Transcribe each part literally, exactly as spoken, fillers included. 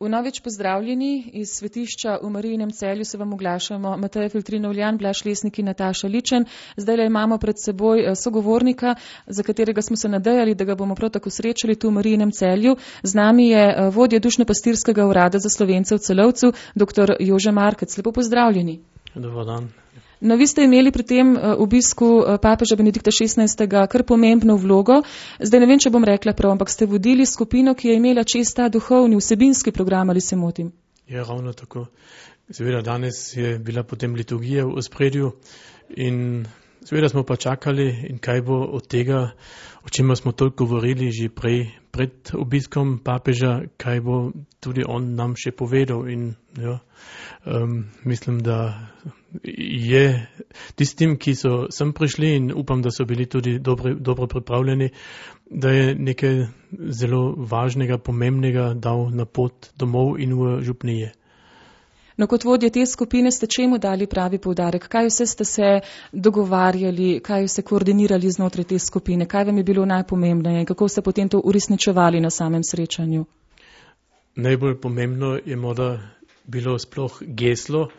Vnovič pozdravljeni iz svetišča v Marijinem Celju, se vam oglašamo Mateja Filtrinovljan, Blaž Lesnik in Nataša Ličen. Zdaj le imamo pred seboj sogovornika, za katerega smo se nadejali, da ga bomo prav tako srečali tu v Marijinem Celju. Z nami je vodja Dušno-pastirskega urada za Slovence v Celovcu, doktor Jože Markec. Lepo pozdravljeni. Dobar dan. No, vi ste imeli pri tem obisku papeža Benedikta šestnajstega kar pomembno vlogo. Zdaj ne vem, če bom rekla prav, ampak ste vodili skupino, ki je imela čez ta duhovni, vsebinski program, ali se motim? Ja, ravno tako. Seveda danes je bila potem liturgija v ospredju in seveda smo pa čakali, in kaj bo od tega, o čemer smo toliko govorili že prej, pred obiskom papeža, kaj bo tudi on nam še povedal. In ja, um, mislim, da je tistim, ki so sem prišli, in upam, da so bili tudi dobro, dobro pripravljeni, da je nekaj zelo važnega, pomembnega dal na pot domov in v župnije. No, kot vodje te skupine ste čemu dali pravi poudarek? Kaj vse ste se dogovarjali, kaj vse koordinirali znotraj te skupine? Kaj vam je bilo najpomembneje in kako ste potem to uresničevali na samem srečanju? Najbolj pomembno je morda bilo sploh geslo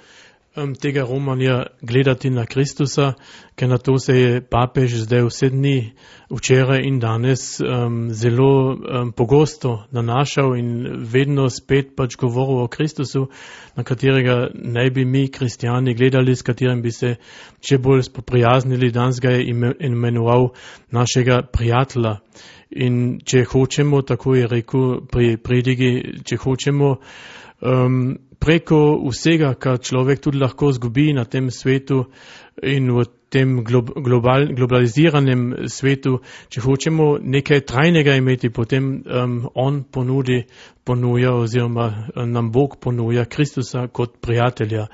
um, tega romanja gledati na Kristusa, ker na to se je papež zdaj vse dni, včeraj in danes um, zelo um, pogosto nanašal in vedno spet pač govoril o Kristusu, na katerega naj bi mi kristijani gledali, s katerim bi se še bolj spoprijaznili. Danes ga je imenoval našega prijatelja. In če hočemo, tako je rekel pri predigi, če hočemo um, preko vsega, kar človek tudi lahko zgubi na tem svetu in v tem global, globaliziranem svetu, če hočemo nekaj trajnega imeti, potem um, on ponudi, ponuja oziroma nam Bog ponuja Kristusa kot prijatelja.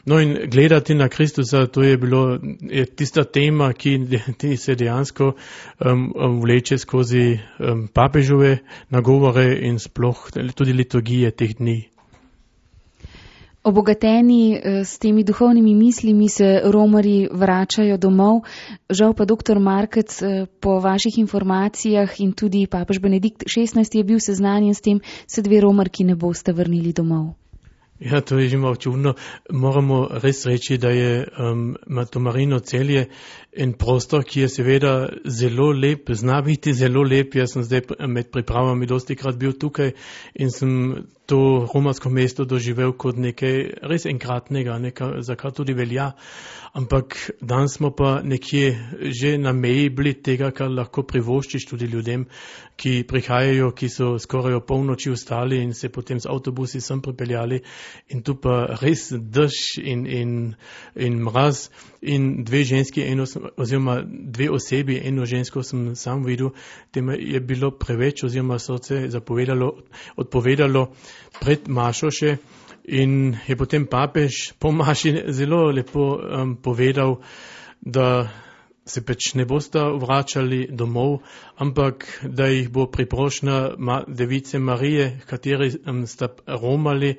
No, in gledati na Kristusa, to je bilo je tista tema, ki de, se dejansko um, vleče skozi um, papežove nagovore in sploh tudi liturgije teh dni. Obogateni s temi duhovnimi mislimi se romarji vračajo domov. Žal pa doktor Markec, po vaših informacijah in tudi papež Benedikt šestnajsti je bil seznanjen s tem, se dve romarki ne boste vrnili domov. Ja, to je že malo čudno. Moramo res reči, da je um, to Marijino Celje en prostor, ki je seveda zelo lep, zna biti zelo lep. Jaz sem zdaj med pripravami dosti krat bil tukaj in sem to romarsko mesto doživel kot nekaj res enkratnega, nekaj, za kar tudi velja. Ampak danes smo pa nekje že na meji bili tega, kar lahko privoščiš tudi ljudem, ki prihajajo, ki so skoraj o polnoči vstali in se potem z avtobusi sem pripeljali. In tu pa res dež in, in, in mraz in dve ženski, eno, oziroma dve osebi, eno žensko sem sam videl, tem je bilo preveč oziroma srce zapovedalo, odpovedalo pred mašo še. In je potem papež po maši zelo lepo um, povedal, da se pač ne bosta vračali domov, ampak da jih bo priprošnja ma, device Marije, kateri um, sta romali,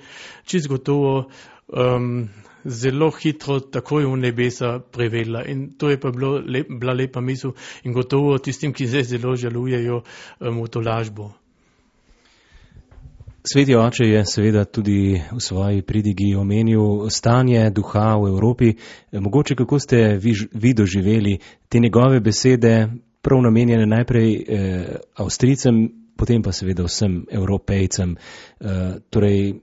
čisto gotovo um, zelo hitro takoj v nebesa privedla. In to je pa bilo lep, bila lepa misel in gotovo tistim, ki zdaj zelo žalujejo um, v to lažbo. Sveti oče je seveda tudi v svoji pridigi omenil stanje duha v Evropi. Mogoče kako ste vi, vi doživeli te njegove besede, prav namenjene najprej eh, Avstrijcem, potem pa seveda vsem Evropejcem. Eh, torej,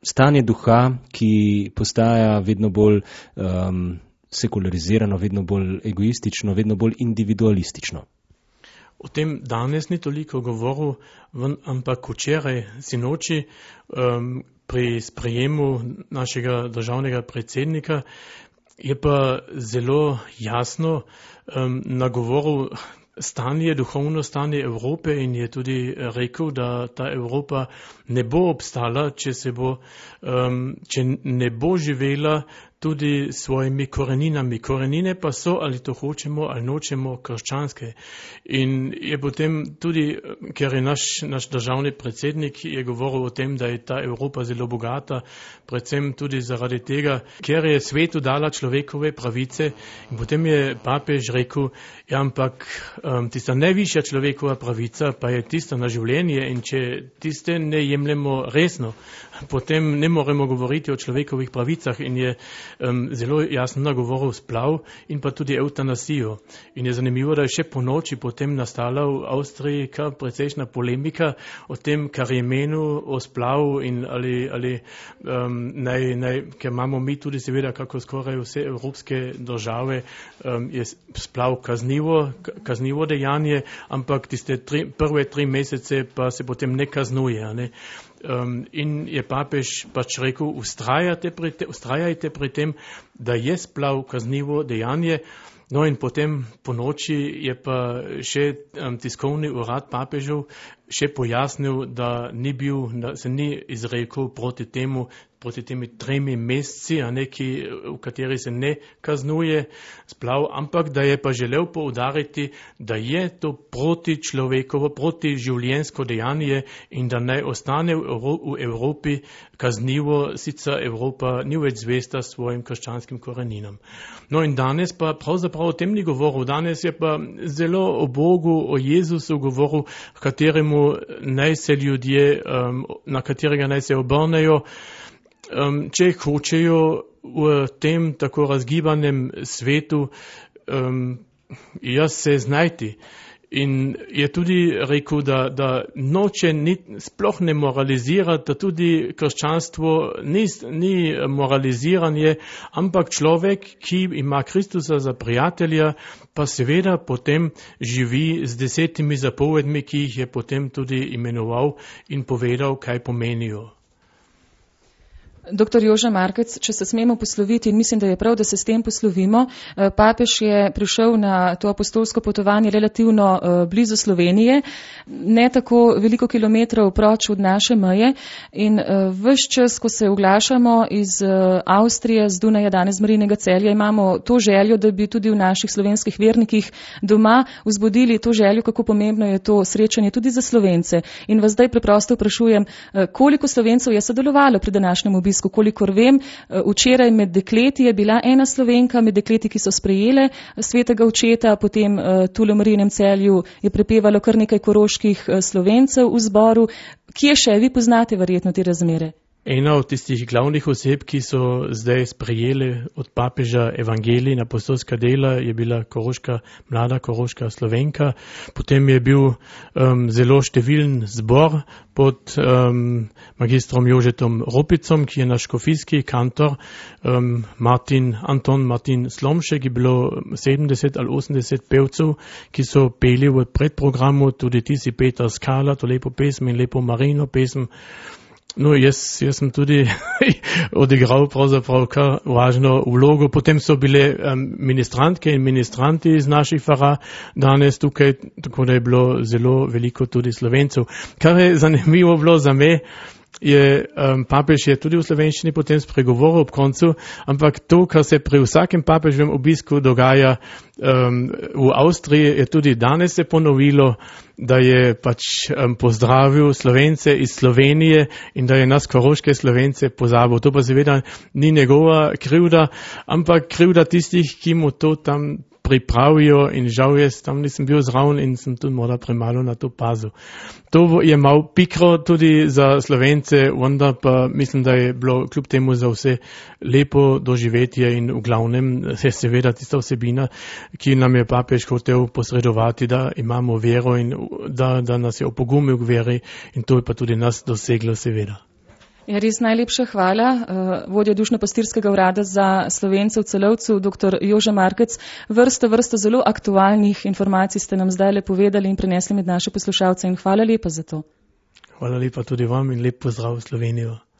stanje duha, ki postaja vedno bolj um, sekularizirano, vedno bolj egoistično, vedno bolj individualistično. O tem danes ni toliko govoril, ampak včeraj sinoči um, pri sprejemu našega državnega predsednika je pa zelo jasno um, nagovoril stanje, duhovno stanje Evrope in je tudi rekel, da ta Evropa ne bo obstala, če se bo, um, če ne bo živela tudi svojimi koreninami. Korenine pa so, ali to hočemo ali nočemo, krščanske. In je potem tudi, ker je naš, naš državni predsednik je govoril o tem, da je ta Evropa zelo bogata, predvsem tudi zaradi tega, ker je svetu dala človekove pravice. In potem je papež rekel, ja, ampak um, tista najvišja človekova pravica pa je tista na življenje in če tiste ne jemljemo resno, potem ne moremo govoriti o človekovih pravicah in je um, zelo jasno nagovoril splav in pa tudi eutanasijo. In je zanimivo, da je še po noči potem nastala v Avstriji kar precejšna polemika o tem, kar je menil o splavu in ali, ali um, naj, naj, ker imamo mi tudi seveda, kako skoraj vse evropske države, um, je splav kaznivo, kaznivo dejanje, ampak tiste tri, prve tri mesece pa se potem ne kaznuje, ne? Um, in je papež pač rekel, ustrajajte pri, te, ustrajajte pri tem, da je splav kaznivo dejanje. No in potem po noči je pa še um, tiskovni urad papežev še pojasnil, da ni bil, da se ni izrekel proti temu, proti temi tremi meseci, a neki, v kateri se ne kaznuje splav, ampak da je pa želel poudariti, da je to proti človekovo, proti življenjsko dejanje in da naj ostane v, Evro, v Evropi kaznivo, sicer Evropa ni več zvesta svojim krščanskim koreninam. No in danes pa pravzaprav o tem ni govoril, danes je pa zelo o Bogu, o Jezusu govoril, kateremu naj se ljudje, um, na katerega naj se obrnejo, um, če hočejo v tem tako razgibanem svetu um, jaz se znajti. In je tudi rekel, da, da noče ni, sploh ne moralizirati, da tudi krščanstvo ni, ni moraliziranje, ampak človek, ki ima Kristusa za prijatelja, pa seveda potem živi z desetimi zapovedmi, ki jih je potem tudi imenoval in povedal, kaj pomenijo. Doktor Jože Markec, če se smemo posloviti, in mislim, da je prav, da se s tem poslovimo, papež je prišel na to apostolsko potovanje relativno blizu Slovenije, ne tako veliko kilometrov proč od naše meje in ves čas, ko se oglašamo iz Avstrije, z Dunaja, danes z Marijinega Celja, imamo to željo, da bi tudi v naših slovenskih vernikih doma vzbudili to željo, kako pomembno je to srečanje tudi za Slovence. In vas zdaj preprosto vprašujem, koliko Slovencev je sodelovalo pri današnjem obisku? Kolikor vem, včeraj med dekleti je bila ena Slovenka, med dekleti, ki so sprejele svetega očeta, potem tule v Marijinem Celju je prepevalo kar nekaj koroških Slovencev v zboru. Kje še vi poznate verjetno te razmere? Ena od tistih glavnih oseb, ki so zdaj sprejeli od papeža evangelij in apostolska dela, je bila koroška, mlada koroška Slovenka. Potem je bil um, zelo številen zbor pod um, magistrom Jožetom Ropicom, ki je naš škofijski kantor, um, Martin, Anton Martin Slomšek, je bilo sedemdeset ali osemdeset pevcev, ki so peli v predprogramu, tudi ti si Peter Skala, to lepo pesem in lepo Marijino pesem. No, jaz, jaz sem tudi odigral pravzaprav kar važno vlogo. Potem so bile um, ministrantke in ministranti iz naših fara danes tukaj, tako da je bilo zelo veliko tudi Slovencev. Kar je zanimivo bilo za me, je um, papež je tudi v slovenščini potem spregovoril ob koncu, ampak to, kar se pri vsakem papeževem obisku dogaja um, v Avstriji, je tudi danes se ponovilo, da je pač um, pozdravil Slovence iz Slovenije in da je nas koroške Slovence pozabil. To pa seveda ni njegova krivda, ampak krivda tistih, ki mu to tam pripravijo in žal jaz tam nisem bil zraven in sem tudi morda premalo na to pazil. To je malo pikro tudi za Slovence, vendar pa mislim, da je bilo kljub temu za vse lepo doživetje in v glavnem je seveda tista vsebina, ki nam je papež hotel posredovati, da imamo vero in da, da nas je opogumil k veri in to je pa tudi nas doseglo seveda. Ja, res najlepša hvala. Vodja Dušno-pastirskega urada za Slovence v Celovcu, doktor Jože Markec. Vrsto, vrsto zelo aktualnih informacij ste nam zdaj le povedali in prenesli med naše poslušalce in hvala lepa za to. Hvala lepa tudi vam in lep pozdrav v Slovenijo.